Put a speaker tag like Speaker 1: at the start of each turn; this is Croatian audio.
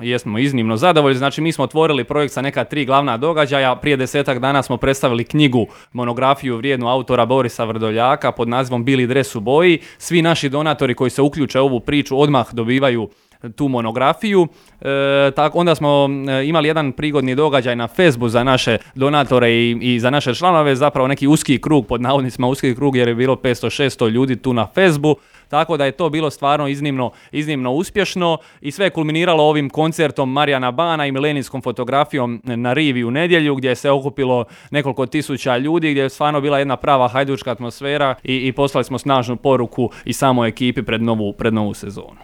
Speaker 1: jesmo iznimno zadovoljni. Znači mi smo otvorili projekt sa neka 3 glavna događaja. Prije 10 dana smo predstavili knjigu, monografiju vrijednu autora Borisa Vrdoljaka pod nazivom Bili dres u boji. Svi naši donatori koji se uključe u ovu priču odmah dobivaju tu monografiju. Onda smo imali jedan prigodni događaj na Facebooku za naše donatore i za naše članove, zapravo neki uski krug, pod navodnicima uski krug, jer je bilo 500-600 ljudi tu na Facebooku. Tako da je to bilo stvarno iznimno uspješno i sve je kulminiralo ovim koncertom Marijana Bana i milenijskom fotografijom na rivi u nedjelju, gdje se okupilo nekoliko tisuća ljudi, gdje je stvarno bila jedna prava hajdučka atmosfera i poslali smo snažnu poruku i samoj ekipi pred novu sezonu.